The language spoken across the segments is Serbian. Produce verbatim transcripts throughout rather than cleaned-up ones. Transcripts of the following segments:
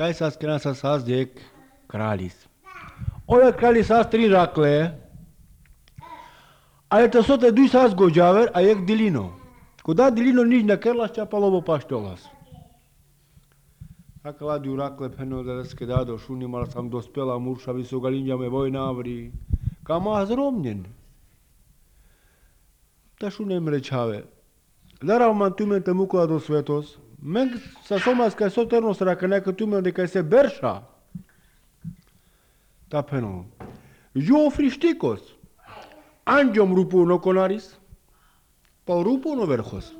Kaj sa skena sa sazdek kralis. Ove kralis sa tri rakle, ale to sote dui sa zgođaver, a jek dilino. Kuda dilino nič na kerlas čapalovo paštolas. A kladiu rakle peno da deske dado, šunimal sam dospela murša visogalinjame vojnavri. Kama zromnjen. Ta šunem rečave. Darav man tumen te mukla do svetos, men sa somas kaj soternos raka neka tumen de kaj se berša. Ta peno. Jo frištikos. Anđom rupu no konaris, pa rupu no verhos.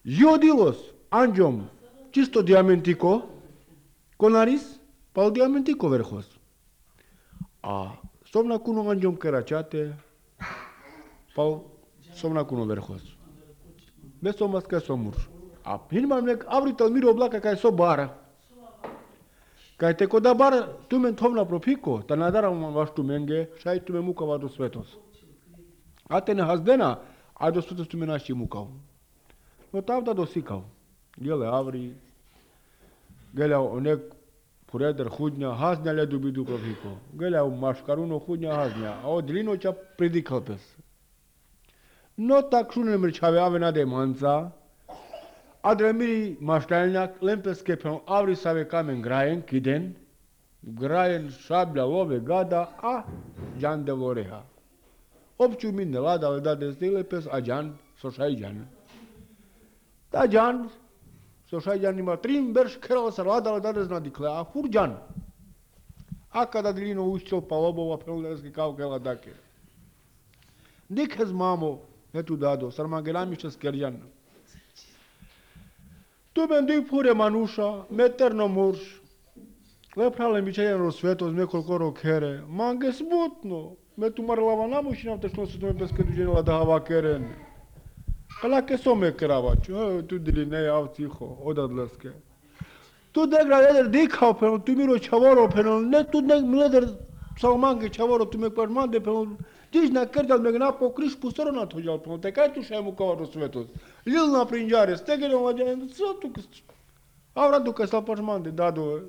Jo dilos, anđom čisto diamantiko, konaris, pa diamantiko verhos. A somna kuno anđom keračate, pa somna kuno verhos. Bez somas kaj somur. A hinmam nek avrital miro oblaka kaj so bara. Kaj te koda bar tumen tovna propiko, ta nadaram vaš tumenge, šaj tume mukava do svetos. A te ne hazdena, a do svetos tume naši mukav. No tavda dosikao. Gele avri, gele onek pureder hudnja, haznja ledu bidu propiko. Gele maškaruno hudnja haznja, a od linoća pridikal pes. No tak šune mrčave ave nade manca, Adremiri maštaljnjak, lempeske pen avri save kamen grajen, kiden, grajen šablja love gada, a džan de voreha. Opću min ne lada, ali da desde lepes, a džan, sošaj džan. Ta džan, sošaj džan ima trim berš kerala sa lada, ali da desna dikle, a fur džan. A kada dilino ušćel pa lobova peluderski kao kela dake. Nikhez mamo, etu dado, sarmangelamišća skerđan. Tu ben dui pure manuša, meterno murš. Leprale mi čeljeno sveto z nekoliko rokere. Mange smutno. Me tu marlava namušina, te što se tome peske duženila da hava keren. Kalake some keravač. E, tu dili ne jav ciho, odadleske. Tu degra leder dikao peno, tu miro čavoro peno, ne tu nek leder salmange čavoro, tu me kvarmande peno. Tiš na kerdal me gnapo kriš pustorona tođal peno, te kaj tu šemu kao do svetos. Lilna prinđare, stegere mlađane, sve tu kas... A vradu kaj sal pažmande, dado,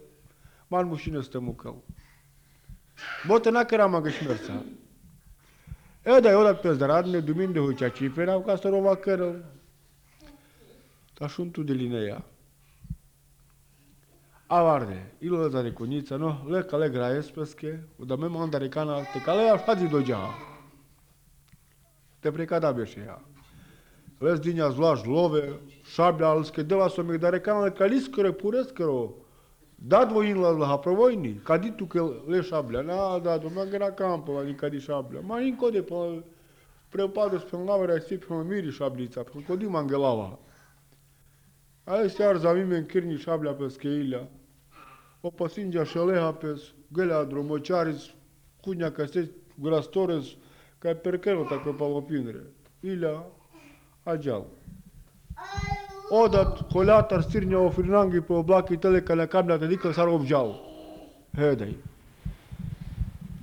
man mušine ste mukal. Bote nakerama ga šmerca. E da je odat pes da radne, duminde huća čipena, u kastorova kerel. Ta šuntu dilineja. A varde, ilo za rekonjica, no, leka legra espeske, da me manda rekana, te kaleja šadzi dođa. Te prekada beše ja. Les dinja zvlaž love, šablja, alske dela som ih da rekana kaliskore pureskero. Da dvojinla zlaha provojni, kadi tu ke le šablja, na da do magera kampova ni kadi šablja. Ma inko de pa prepado spelnavera i sipno miri šablica, kodi mangelava. A este ar zavimen kirni šablja peske ilja. Opa sinđa šeleha pes, gelea dromočaris, kudnja kaj se grastores, kaj perkero tako palopinre. Ilja, ađal. Odat kolatar stirnja o frinangi po oblaki teleka na kamnate dikle sar obđal. Hedej.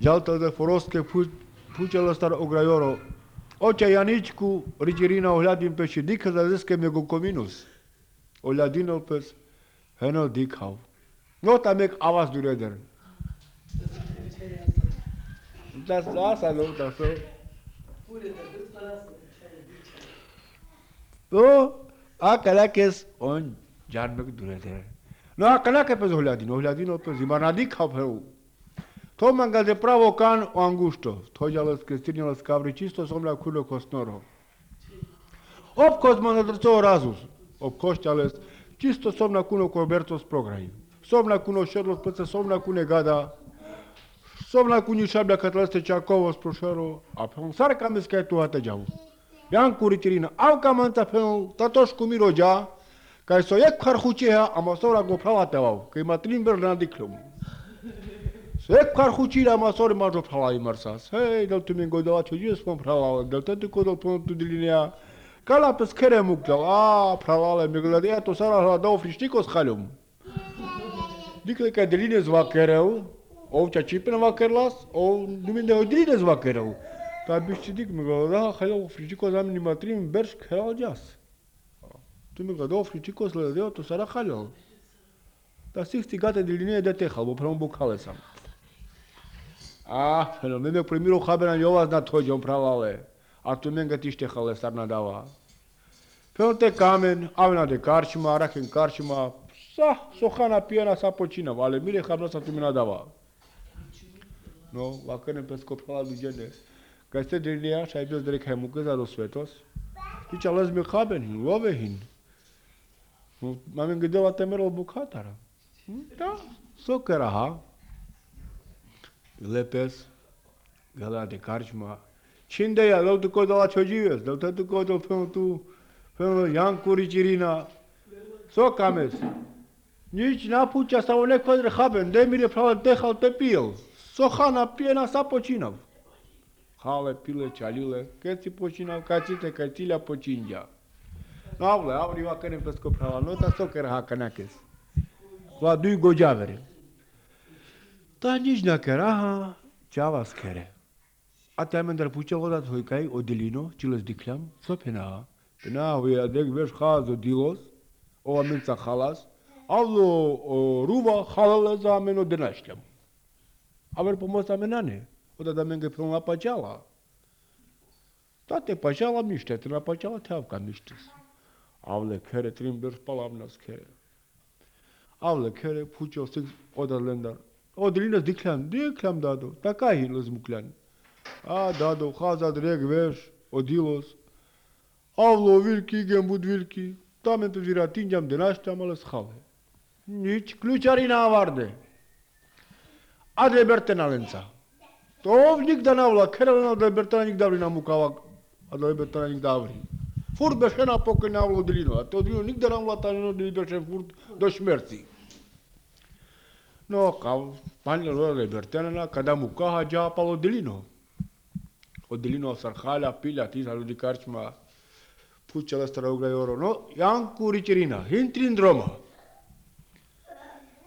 Džalta de forostke pučela star ograjoro. Oća Janičku riđerina ohľadim peši dikha za deske mego kominus. Ohľadinol pes henol dikhav. No tam ek avas dureder. Das asa no das so. To a kalakes on janmek dureder. No a kalake pes ohľadin, ohľadinol pes imana dikhav heu. To manga de pravo can o angusto. Tođales ke stirnjales kavri čisto somla kulo kosnoro. Opkoz man odrco razus. Opkošćales čisto somna kuno kobertos prograj. Somna kuno šerlos pece somna kune gada. Somna kuni šablja katleste čakovo sprošero. A pon sarka miska tu hata džavu. Janku ritirina avka manta pon tatošku miro dža. Kaj so jek harhučeha a masora go pravatevav. Kaj ma trimber na diklum. Ek kar hučila ma sori mažo pralai marsas. Hej, del tu min godela čođe spom pralala, del te kodal pon tu dilinea. Kala pes kere mukdal, a pralale mi gleda, eto sara hladao frištikos haljom. Dikle kaj diline zvakereu, ovča čipena vakerlas, o duminde ho diline zvakereu. Ta bišći dik mi gleda, haljao frištikos zamini matrim beršk helal jas. Tu mi gleda, frištikos gledeo, to sara haljao. Dar sixty gata de linie de tehal, bo prvom bukale sam. Ah, no, me me primiro habera jovas na tođom pravale. A tu menga tište hale sarna dava. Pelte kamen, avna de karčima, raken karčima, sa, sohana pijena sa počinav, ale mire habna sa tu mi nadava. No, vakane pesko prava luđene. Kad ste drinija, šaj bio zdrek hajmuke za do svetos. Ića lezme haben hin, love hin. Mamen gdela temerol bukatara. Da, sokera ha. Lepes, gala de karčma. Činde ja, dal tu kodala čođives, dal tu kodal peno tu, peno Jankuri Čirina. Sokames. Nici napuća samo neko odre haben, de mire prava tehal te pil. Sohana pijena sa počinav. Hale, pile, čalile, kad si počinav, kad si te, kad cilja počinja. No, avle, avri vakane pesko prava, no ta sokera ha kanakes. La dui gođavere. Ta nici nakera ha, čava skere. A te amendar puća vodat hojkaj odelino, čiles dikljam, so pena. Pena hoja dek veš hazo dilos, ova menca halas, avlo ruva halale za meno denašljam. Aver pomosta menane, oda da menge pron la pačala. Ta te pačala miște, te la pačala te avka miștes. Avle kere trimber palavna skere. Avle kere puća six oda lendar. Odelinas dikljam, dikljam dado, taka hilos muklan. A dado, haza dreg veš, odilos. Avlo vilki, gembud vilki, tamen pe viratinjam denašljam, ale shale. Nici ključarina varde. Adre Bertena lenca. To nikda navla, kerelena da Bertena nikda vri namukava, a da Bertena nikda vri. Furt bešena pokoj navlo delino, a to delino nikda navla tanino da bešen furt do šmerci. No, kao panjelo da Bertena, kada mukaha džapalo delino. Od delino sarhalja, pilja, tisa ljudi karčma, puća lestara uglajoro. No, Jankuri Čirina, hintrin droma.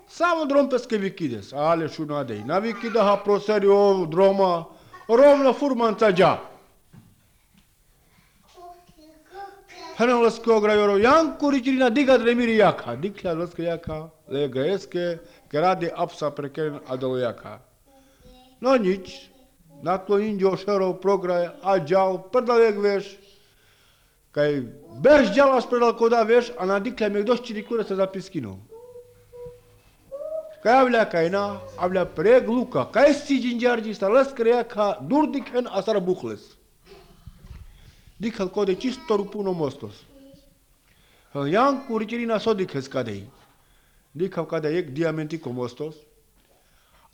Samo drom peske vikides, ale šunadej. Na vikidaha proserio droma, rovna furmanca dža. Hena leske ograjoro, Jankuri Čirina diga dremiri jaka. Dikla leske jaka, lega eske, grade apsa prekeren adalo jaka. No nič, naklo inđo šerov prograj, a džal, predavek veš. Kaj beš džalas predal koda veš, a na dikla mek došćiri kure se zapiskinu. Kaj avlea kaina, avlea preg luka, kaj si gingiargi sta lăscărea ca dur dikhen asar buhles. Dikhal kode čisto rupuno mostos. Jankuri Čirina so dikhes kadei. Dikhal kada ek diamantiko mostos.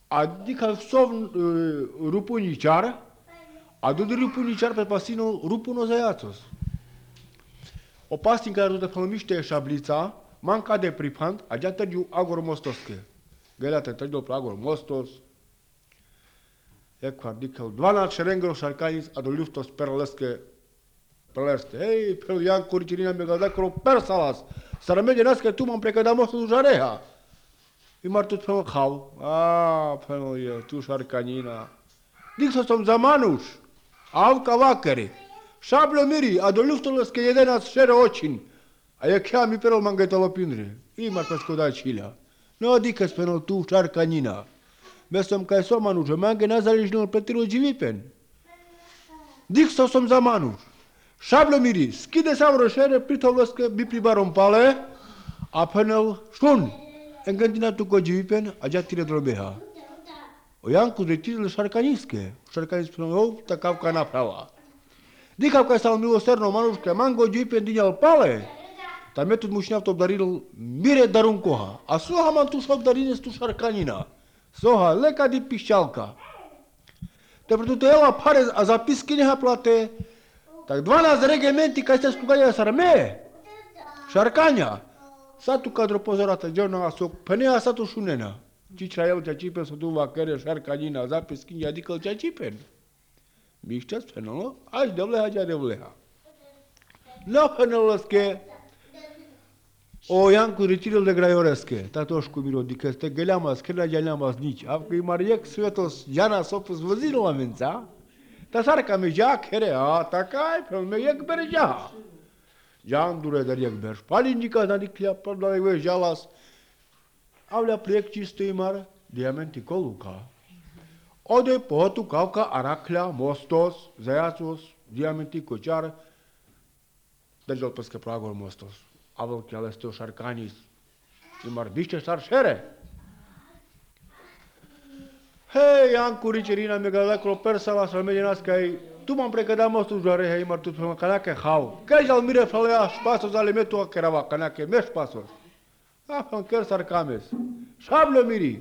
A dikhal sov rupuničar, a dudi rupuničar pe pasino rupuno zajacos. Opastin care rute pălămiște șablița, manca de pripant, agea tăgiu agor mostoske. Gledate, tăģo plagor mostos. Ekvar dikal dvanaest šerengro šarkanis, a do ljuftos perleske perleste. Hei, pel Jankuri Čirina me gleda kro persalas. Sara međe naske tu mam prekada mostos u žareha. I mar tot pel hau. A, pel je tu šarkanina. Dikso som za manuš. Avka vakeri. Šabljo miri, a do ljuftoleske jedenac šere očin. A je kja mi perol mangetalo pinri. I mar pesko da čilja. No dikas penal tu šarkanina. Mesom kaj so manuš, mange nazaližnil petilo dživipen. Dikso som za manuš. Šablo miri, skide savro šere pritovleske bi pribarom pale, a penal šun. Engantina tu ko dživipen, a džatire drobeha. O Janku zretile šarkaniske. Šarkanis penal, ov, takavka naprava. Dikavka sal milosterno manuške, mango dživipen dinjal pale. Ta metod mušňav to daril mire darunkoha. A soha man tu šok darines tu šarkanina. Soha, leka di pišťalka. Te preto ela pare a zapisky neha plate. Tak dvanaest regimenti kaj ste skugaja s armee. Šarkanja. Sa tu kadro pozorata, džorna a sok, penea sa tu šunena. Čičra el ća čipen so tu vakere šarkanina, zapisky nja dikal ća čipen. Mišťas penalo, až devleha ća devleha. No penaloske. O Jankuri Čiril de grajoreske, ta tošku miro dikeste, geleamas, kela geleamas nici. Avka i marjek svetos jana sopus văzilul amența, ta sarka me jak here, a ta kaj, pe me jek ber jaha. Jan dure dar jek ber, palindika na diklia, pardale ve jalas. Avlea proiect čisto imar diamantiko luka. Ode pohotu kauka araklja, mostos, zajacos, diamantiko čar, držal peske pragor mostos. Avel kjalesteo šarkanis, imar dišče šar šere. Hei, Janku Ricerina mi galeklo persala să merge nascai. Tu m-am pregătit mostul joare, hei, mar tu pe canache hau. Că jal mire falea spasos ale metu akerava canache mes spasos. Ah, în chiar sarcames. Șablo miri.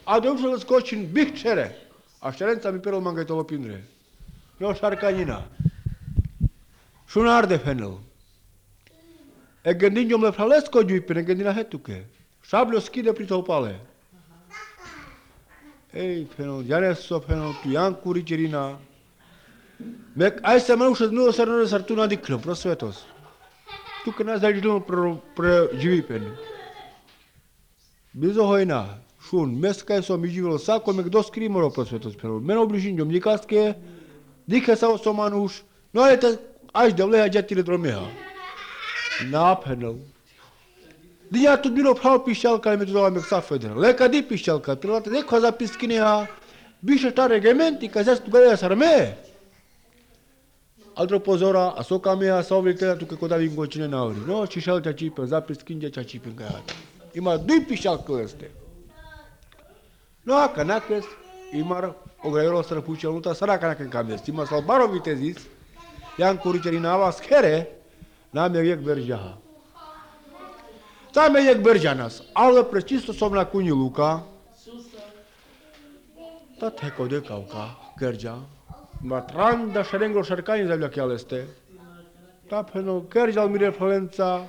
Adeu să scoci în big cere. Așterența mi perul mangătolo pindre. Eu șarcanina. Și un arde fenel. E gândin eu mă falesc o giuipene, gândina hetuke. Șablo schide prin pale. Ei, fenel, Janesso, fenel, tu Janku Ricerina. Mek, ai să mă ușă nu o să rănă sartuna de club, prosvetos. Tu că n-ați dai jilul pre giuipene. Bizo hojna, šun, meskaj so mi živelo sako, mek do skrimoro prosvetos fenel. Men obližin jom nikaske, dike sa osomanuš, no ale te, aș de vleha jatile dromeha. Na, fenel. Dnia tu bilo prav pišťalka, ale mi tu dala mek sa federa. Leka di pišťalka, trilate neko za piskineha, biše ta regimenti, ka zes tu gledea sarme. Altro pozora, a soka mea sa ovlitela tu că codavi în cine nauri. No, și șaltea cipe, za piskinja cea cipe în gaiata. Ima dui pišťalka este. No, a canakes, imar o graiolo străpucea luta sara canake cames. Ima salbaro vitezis, Janku Ricerina ava schere, na merjek berjaha. Ta merjek berjanas, ale precisto somna kuni luka. Ta teko de kauka, gerja. Matranda șerenglo șercani zavlea chiar este. Ta peno gerja al mire Florența.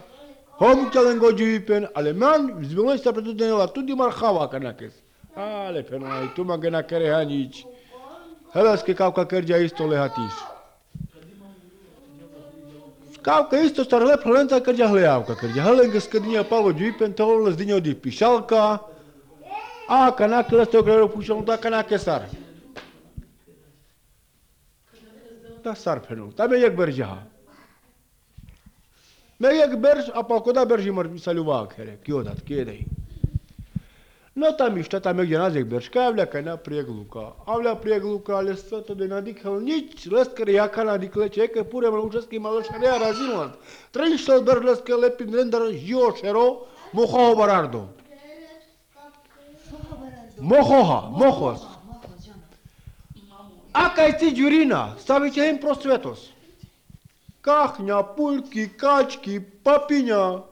Hom celengo giuipen, aleman, zbiloi sta pretudene la tudi marhava canakes. Ale peno, ai tu mă gâna care hanici. Helas că kauka gerja isto lehatiš. Kauka isto starele Florența gerja hleavka gerja. Helenga skădinja palo giuipen, tolo zdinja di pišalka. A canakele este o greu pușel, da canake sar. Da sar peno, da me yek berjaha. Me yek berj, apa koda berji mar saluva khere, kiodat, kiedei. No ta mișta, ta mek janazek berj, ka avlea cana priegluca. Avlea priegluca, ale sfătă de nadic hel nici, lăscăre ia cana dicle ce, că pure mă lușesc ima lășarea razinland. Trăiștel berj lăscă lepin render jio șero, moho barardo. Mohoha, mohos. Aka este Giurina, stavice în prosvetos. Cahnia, pulchi, caci, papinia.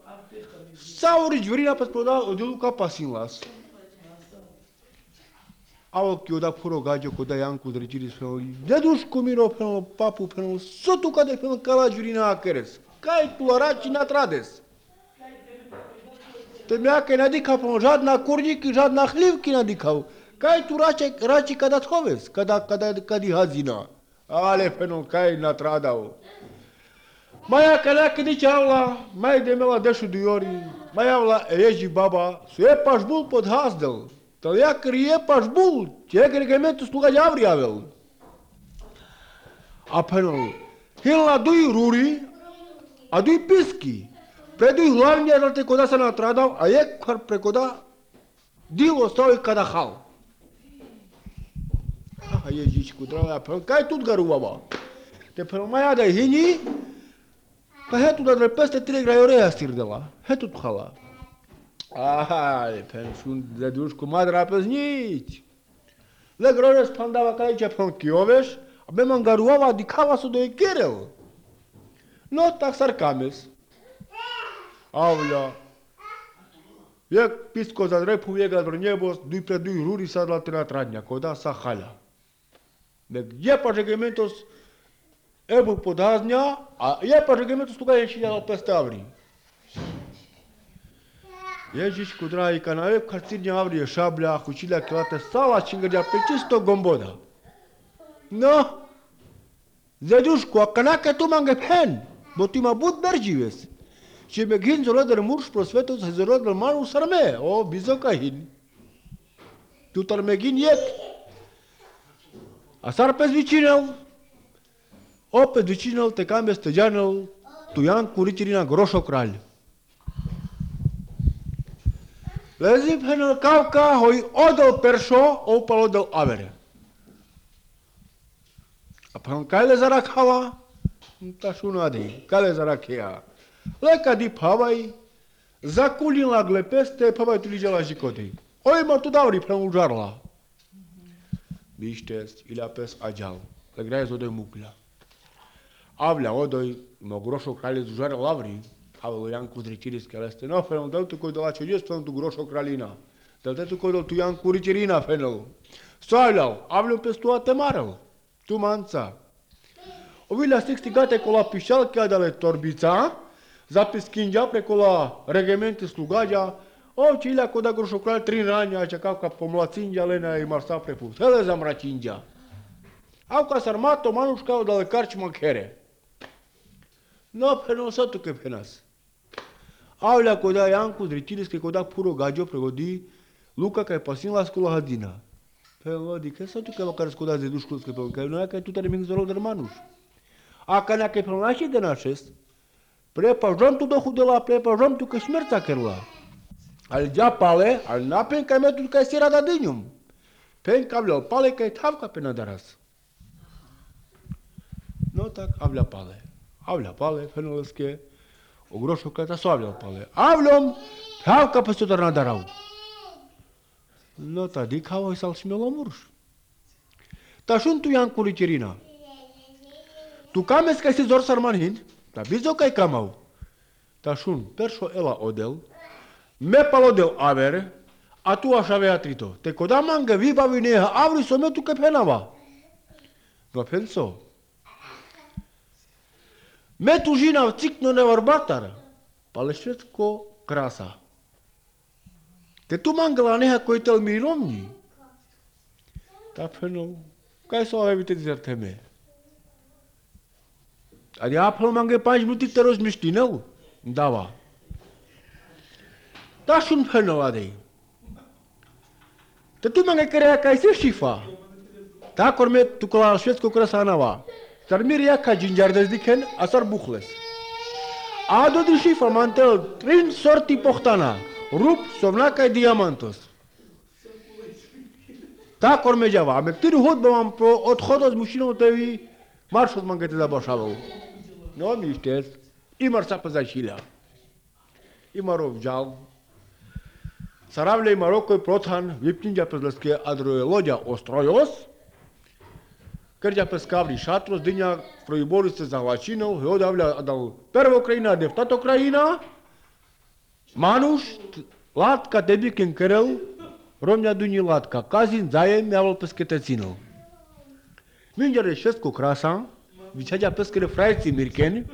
Sauri Giurina pe spoda o de luca pasinlas. Au că da puro gajo cu da Janku Riceris fel. De duș cu miro fel papu fel. Sotu ca de fel ca la Giurina akeres. Cai tu araci na trades. Te mea că nadica pe jadna kurnik, jadna hlivki nadicau. Cai tu raci raci ca da thoves, ca da ca da ca di hazina. Ale fel cai na tradau. Mai acalea că dice aula, mai de mela dešu diori, mai aula eji baba, su e pașbul pod hazdel. Tălia că e pașbul, ce e reglementul sluga de avri avel. Apenul, hil la dui ruri, a dui pischi, pre dui hlavni a te coda să na tradau, a e kar precoda dilo stau e cada hal. Ah, e zici cu dragă, apenul, cai tot garu baba. Te penul mai ada hini, că hetu dar peste trei graiorea stir de la. Hetu hala. Ah, pentru de duș cu madra peznici. Le grore spandava ca aici pe Chioveș, abem angaruava dicava să doi kerel. No tak sarkames. Avlea. Je pisko za drepu vega brnjebos, dui pre dui ruri sad la tena tradnja, koda sa hala. De je pa reglementos ebu podaznja, a je pa reglementos tuga je šilja peste avri. Ježiš kudrai kanale karcirnja avri je šablja, kučilja kilate sala čingrja pe čisto gomboda. No, zeduško, a kanake tu mange pen, bo ti ma bud beržives. Și me ghin zolo de murș prosvetos zolo de manu sarme, o bizoka hin. Tu tar me ghin yek. A sar pe zvicinel. O pe zvicinel te cam este janel, tu Janku Ricerina groșo kral. Le zi penel kauka hoi odel perso opal odel avere. Apan kale zarak hava, ta shuna de, kale zarak ea. Leka di pavai, zakulin la glepeste, pavai tu ligea la jicotei. Oi mă tu dauri penul jarla. Biștes, ila pes agial, le graez odoi mucla. Avlea odoi, mă groșo kralje zužare lavri, avea Ian Kudriciris care este, no, fenel, dă tu coi de la celios, fenel tu groșo kralina. Dă tu coi de tu Ian Kuricirina, fenel. Soilal, avlea pes tu atemarel, tu manța. Ovilea sextigate cu la pișal, chiar de la torbița, zapis schingea preco la regimente slugagia, o, ce ilea coda groșo kral trin rania, așa ca ca pomla țingea, lena i marsa prepus. Hele zamra cingea. Au ca s-armato, manuș ca o de la carci machere. No, fenel, să tu că penas. Avlea coda Ian Kudriciris, că coda puro gagio pregodi, Luca ca e pasin la scola hadina. Fenel, adică să tu că măcar scoda de dușcul, că nu e ca tu te nimic zorul de manuș. A ca nea că e până și de nașest, prepažam tu dohu de la prepažam tu că șmerța kerla. Al dea pale, al napen ca metul ca sera da dinium. Pen ca avlea pale ca e tavca pe nadaras. No tak avlea pale. Avlea pale, fenelske, o groșo ca ta so avlea pale. Avlom, tavca pe sotar nadarau. No ta dik hava sal smelomurș. Ta shun tu Ian Kuricirina. Tu kames ca si zor sarmanhin, ta bizo ca kamau. Ta shun perso ela odel, me palodel avere, a tu așa avea trito. Te coda manga viva vineha, avri sometu că penava. No penso. Me tu jina cicno nevarbatar, palešetko krasa. Te tu manga la neha coitel mirilomni. Ta penel, ca să o avea dizerteme. Adi apel mange panci minuti te roz miștinel, dava. Da shun penel adei. Te tu mange care ca ise șifa. Ta corme tu cola șuiesc cu crasa nava. Dar miria ca ginjar dezdiken asar buchles. Ado di șifa mantel trin sorti pohtana. Rup sovnaca diamantos. Ta corme java. Ame tiri hod bam pro od hodos mușino tevi marșos mangete da bașavau. No miștesc. Imar sa păzașilea. Imarov jal. Saravlei Marocoi prothan viptingea pezlăsche adroelogia Ostroios. Cărgea pe scavri șatros, dânia proiborul se zahvacinău, eu de avlea adal perva Ucraina, deftat Ucraina, Manuș, Latca, tebic în cărău, Romnea dunii Latca, Cazin, zaiem, mi-aval pescetăținău. Mingea reșesc cu crasa, vicegea pescăre fraiții mircheni,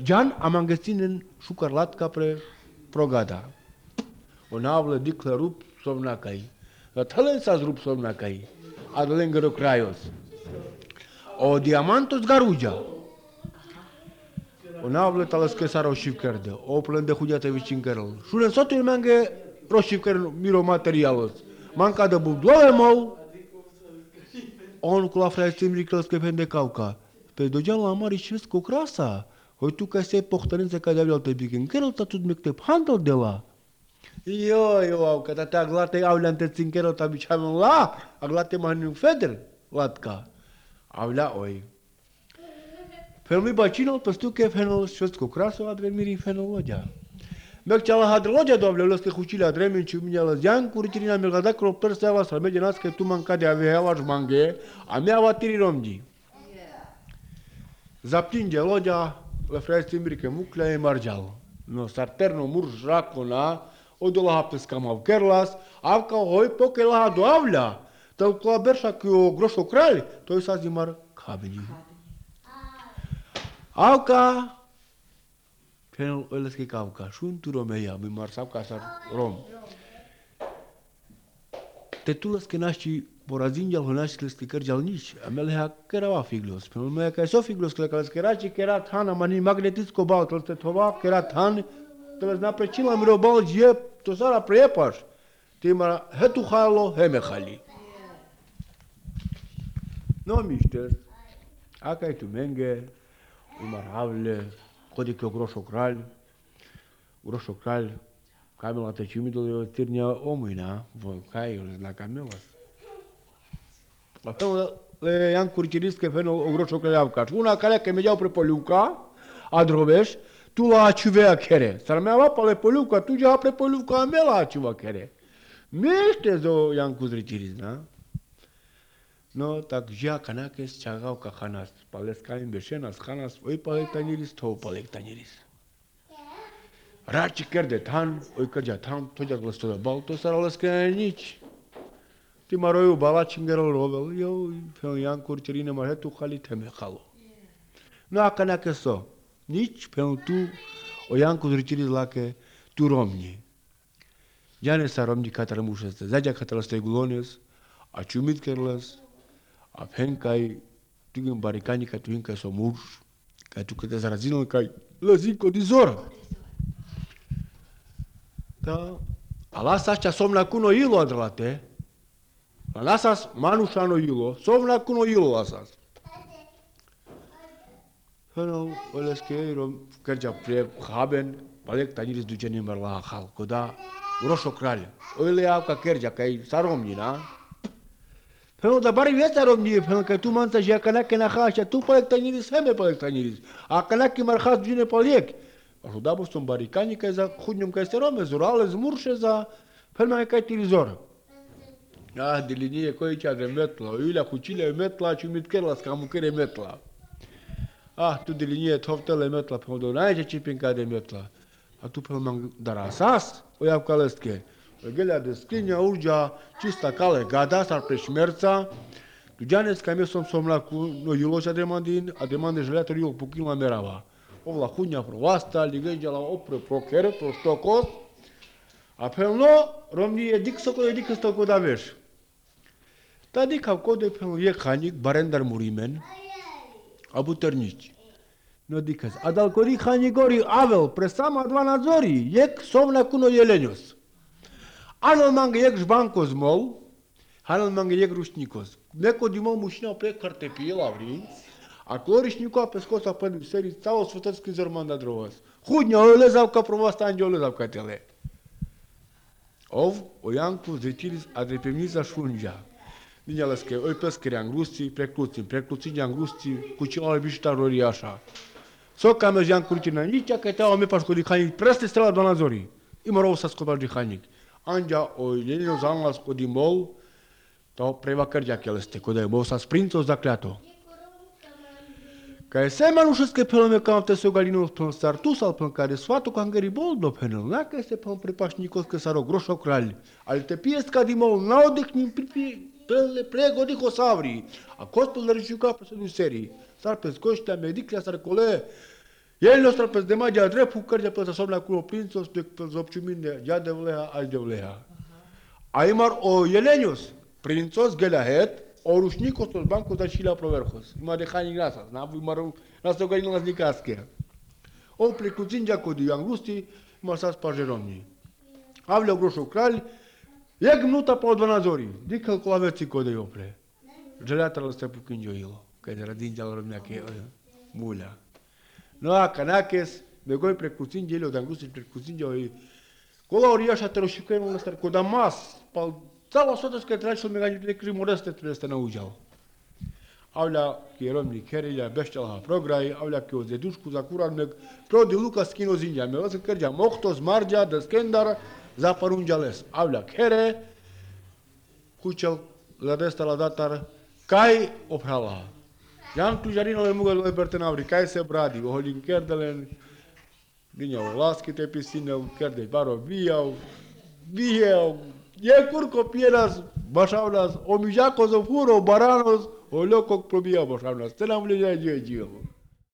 Gian am angățin în șucar Latca pre progada. O navlă diclă rup somnacai, tălân s-ați rup somnacai, adălângără craios. O diamantos garugia. O navlă talăscă sa roșivkerde, o plân de hudiate vicinkerul. Šulen sotul mange roșivker miro materialos. Manca de budlove mau. On cu la fraiții miriclăscă pende cauca. Pe dogean la mari șvesc cu crasa. Hoi tu ca se pohtărință ca de-aveau te bicinkerul, ta tu dmectep handel de la. Io, io, că tate aglate aulea între ținkerul ta biceamîn la, aglate mani feder, latca. Avlea oi. Felmi bacinul păstu că fenul șvesc cu crasa, adremiri fenologia. Mek ceala hadrologia doamne, lăscă hucile adremin și mine la Ian Kuricirina mi-l gada cropter să ava să merge nas că tu manca de avea la jmanghe, a mea va tiri romdi. Zaptinge logia, la fraiții mirică muclea e margeal. No sarterno murj racona, o do la hapte scamav kerlas, avca hoi poke la hadu avlea. Tău cu la berșa că o groșo crali, toi s-a zimar cabini. Avca, penul ălăscă cavca, șun tu romeia, mi marsau ca sar rom. Te tu lăscă naști porazinjal honaști lăscă cărgeal nici, amele ha cărava figlos. Penul mea ca so figlos că lăscă raci, că era tan, amani magnetis cobalt, lăscă tova, că era tan, te lăsna precin la mirobal, gie, to sara prepaș. Te mara, hetu halo, heme hali. No mișter, aca-i tu menge, umar havle, codică groșo kral, groșo kral, Камила te ciumitului târnea omului, na? Caiul la Camila. La fel, le iam curciriscă pe o groșo că le-au caș. Una care că mergeau pre Poliuca, a Drobeș, tu la acivea kere. Sar mea va pale Poliuca, tu ja pre Poliuca mea la aciva kere. Mește zo iam curciris, na? No, tak ja kanakes chagau ka khanas. Pales kain beshenas khanas, oi pale taniris to pale taniris. Raci kerde tan, oi kerja tan, tojak lasto da balto sar alaska nici. Ti maroju balačin gerol rovel, jo, pel jan kurčerine marhetu khali teme khalo. No a kanake so, nici pel tu o jan kurčeriz lake tu romni. Jane sa romni katara mušeste, zađa katara ste gulones, a čumit kerles, a penkai, tugin barikani ka tu hinkai so murš, ka tu kete zarazino kai lazinko di zora. Da, ala sača somna kuno ilo adralate, lasas manušano ilo, somna kuno ilo lasas. Hano, oleske rom kerja pre haben, palek taniris duceni merla hal, koda groșo kralj. Ole au ka kerja kai saromni na. Hano da bari vieta romni, hano ka tu manta ja kana kana khacha, tu palek taniris heme palek taniris. A kana ki marhas ducene palek. Alo da boston barikani kai za khudnjom kai serome zurale zmurše za pelma kai tilizor. Ah, de linie coicea de metla, iulia cucile metla, ciumit kerla, scamu kere metla. Ah, tu de linie toftele metla, pe odon aici cipinca de metla. A tu pe mang darasas, o iau calestke. O gelea de scrinia urgea, cista cale gada, sar preșmerța. Tu janes ca mie som somla cu no iuloșa de mandin, a de mande jeleator iul pukin la merava. O la hunia proasta, ligăja la opre proker, pro stocos. Apel no, romnie dic soko dic stoko da veš. Tadi kao kode pel je khanik barendar murimen abuternici. No dikaz. Adal kori khanigori avel presama dva nadzori, jek somna kuno jelenios. Anal mange jek žbankos mol, anal mange jek rušnikos. Neko di mol mušina pre kartepije lavri, a klorišniku a peskosa pe seri calo svetski zerman da drovas. Hudnja olezav ka provasta anđe olezav ka tele. Ov o Janku zretilis adrepemniza šunđa. Dinjaleske, oi peskeri angrusti, preklucim, preklucinja angrusti, kućinale bišta rorijaša. Soka me Jan Kurčina, niča kaj teo me paško dihanik, preste strela do nadzori. I morao sa skobaš dihanik. Anđa o ljenino zanlas kod imol, to preva krđa keleste, kod je mol sa sprinco zakljato. Kaj se manušeske pelome kao te se galino pel star tu sal pel care svato kangeri boldo penel, naka se pel prepašnikovske saro grošo kralj, ali te pijeska di mol naodeknim pripi pele pregodiho savri, a kospel rečiuka pe sedu seriji, sar pe skoštea mediclea sar kole, jelno sar pe zdemađa drepu krđa pe somna kulo princos pe pe zopčumine, ja devleha, aj devleha. A imar o jelenios, princos gelahet, o rušnikos tos bancos da šila proverhos. Ima de hani grasas, na imar nas to galino las nikaske. O pleclucinja kodi angrusti, ima sas parjeromni. Avle grošo kralj, jek minuta po dvanazori, di calculaveți kode opre. Gelatralo ste pukinjo ilo, kaj de radinja romnjake mulja. No a kanakes, begoj preclucinja ilo da angrusti preclucinja i kola orijaša terošikajno nastar koda mas, pa cała sotoska tračil me ganju tekri moreste treste nauđal. Avlja ki romni kerilja bešćalha prograj, avlja ki od zedušku za kuran prodi Lukas kino zinja, me vas krđa mohtos marđa da skendar za parunđales. Avlja kere, kućel la desta la datar, kaj oprala. Jan tužarino le mugal leberte navri, kaj se bradi, oholin kerdelen, ginjao laski te pisine, kerde baro bijao, bijao, je curco pieras, bașaunas, o mijacos, o furo, baranos, o loco probia bașaunas. Te n-am legea de geo.